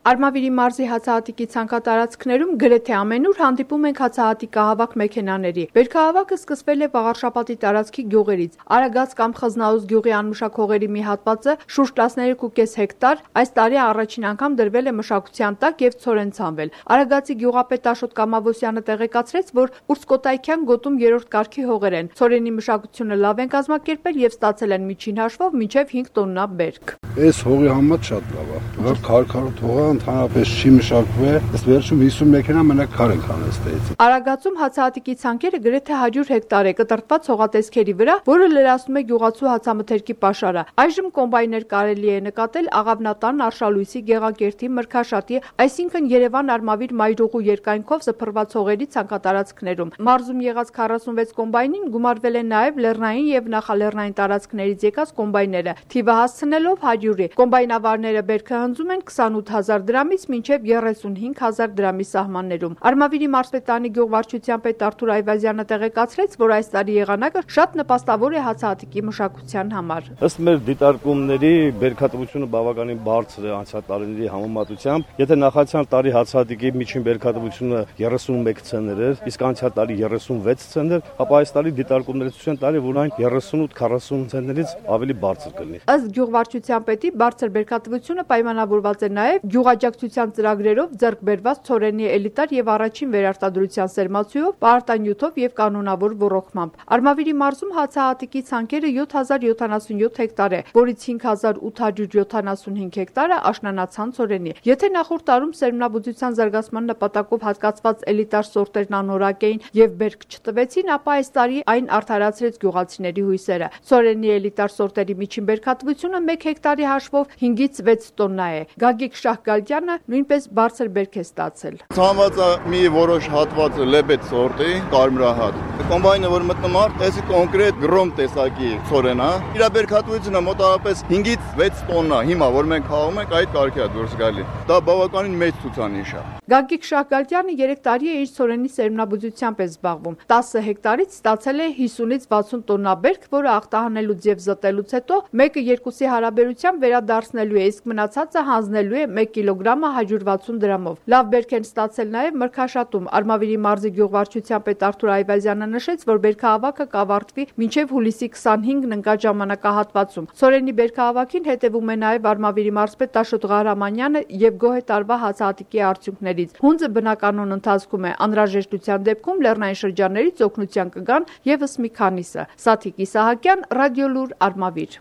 Արմավիրի մարզի հացահատիկի ցանկատարածքներում գրեթե ամենուր հանդիպում ենք հացահատիկահավաք մեքենաների։ Բերքահավաքը սկսվել է Վաղարշապատի տարածքի գյուղերից։ Արագած կամ Խզնաուզ գյուղի անմշակ հողերի մի հատվածը շուրջ 13.5 հեկտար այս տարի առաջին անգամ դրվել է մշակության տակ եւ ցորեն ցանվել։ Արագածի գյուղապետ Աշոտ Կամավոսյանը տեղեկացրեց, որ Ուրցկոտայքյան գոտում 3-րդ կարգի հողեր են։ Ցորենի մշակությունը լավ են կազմակերպել եւ ստացել են միջին հաշվով մինչեւ 5 տոննա բերք։ Այս հողի համար շատ լավ է։ Որ քարքարոտ հողը ընդհանրապես չի մշակվել, ըստ վերջում 50 մեքենա մենակ քար են քանել ստեից։ Արագածում հացահատիկի ցանկերը գրեթե 100 հեկտար է կտրտված հողատեսքերի վրա, որը լրացնում է գյուղացու հացամթերքի պաշարը։ Այժմ կոմբայներ կարելի է նկատել Աղավնատան, Արշալույսի, Գեղակերտի, Մրգաշատի, այսինքն Երևան-Արմավիր մայրուղու երկայնքով սփռված հողերի ցանկատարածքներում։ Մարզում եղած 46 կոմբայնին գումարվել են նաև լեռնային եւ նախալեռնային տարածքներից եկած կոմբայները, թիվը հասցնելով 100-ի։ Կոմբայնավարները բերքը հնձում են 28000 դրամից մինչև 35000 դրամի սահմաններում։ Արմավիրի մարզպետանի գյուղվարչության պետ Արթուր Այվազյանը տեղեկացրեց, որ այս տարի եղանակը շատ նպաստավոր է հացահատիկի մշակության համար։ Ըստ մեր դիտարկումների բերքատվությունը բավականին բարձր է անցյալ տարիների համեմատությամբ։ Եթե նախացյալ տարի հացահատիկի միջին բերքատվությունը 31 ցենտներ էր, իսկ անցյալ տարի 36 ցենտներ, ապա այս տարի դիտարկումները ցույց են տալի, որ այն 38-40 ցենտներից ավելի բարձր կլինի։ Ըստ գյուղվարչության պետի բարձր բերքատվությունը պայմանավորված է նաև գյուղաջակցության ծրագրերով ձեռք բերված ցորենի էլիտար եւ առաջին վերարտադրության սերմացուով, պարտանյութով եւ կանոնավոր ոռոգմամբ։ Արմավիրի մարզում հացահատիկի ցանկերը 7077 հեկտար է, որից 5875 հեկտարը աշնանացան ցորենի։ Եթե նախորդ տարում սերմնաբուծության զարգացման նպատակով հատկացված էլիտար սորտերն անորակ էին եւ բերք չտվեցին, ապա այս տարի այն արդարացրեց գյուղացիների հույսերը։ Ցորենի էլիտար սորտերի միջին բերքատվությունը 1 հեկտարի հաշվով 5-ից 6 տոննա է։ Գագիկ Շահգալյանը նույնպես բարձր բերք է ստացել։ Ցանված է մի որոշ հատված լեբետ սորտի, կարմրահատ։ Կոմբայնը որ մտնում է, այսի կոնկրետ գրոմ տեսակի ցորեն է։ Իր բերքատվությունը մոտավորապես 5-ից 6 տոննա։ Հիմա որ մենք խաղում ենք, այդ կարգի է դուրս գալի։ Դա բավականին մեծ ցուցանիշ է։ Գագիկ Շահգալյանը 3 տարի է իր ցորենի սերմնաբուծությամբ է զբաղվում։ 10 հեկտարից ստացել է 50-ից 60 տոննա բերք, որը ախտահանելուց եւ զտելուց հետո 1:2-ի հարաբերությամբ վերադարձնելու է, իսկ մնացածը հանձնելու է 1 կիլոգրամը 160 դրամով։ Լավ բերք են ստացել նաև Մրգաշատում։ Արմավիրի մարզի գյուղվարչության պետ Արթուր Այվազյանը նշեց, որ բերքահավաքը կավարտվի մինչև հուլիսի 25-ն ընկած ժամանակահատվածում։ Ցորենի բերքահավաքին հետևում է նաև Արմավիրի մարզպետ Աշոտ Ղարամանյանը եւ գոհ է տարվա հացահատիկի արդյունքներից։ Հունձը բնականոն ընթացքում է, անհրաժեշտության դեպքում լեռնային շրջաններից օգնության կգան եւս մի քանիսը։ Սաթիկ Իսահակյան, Ռադիոլուր, Արմավիր։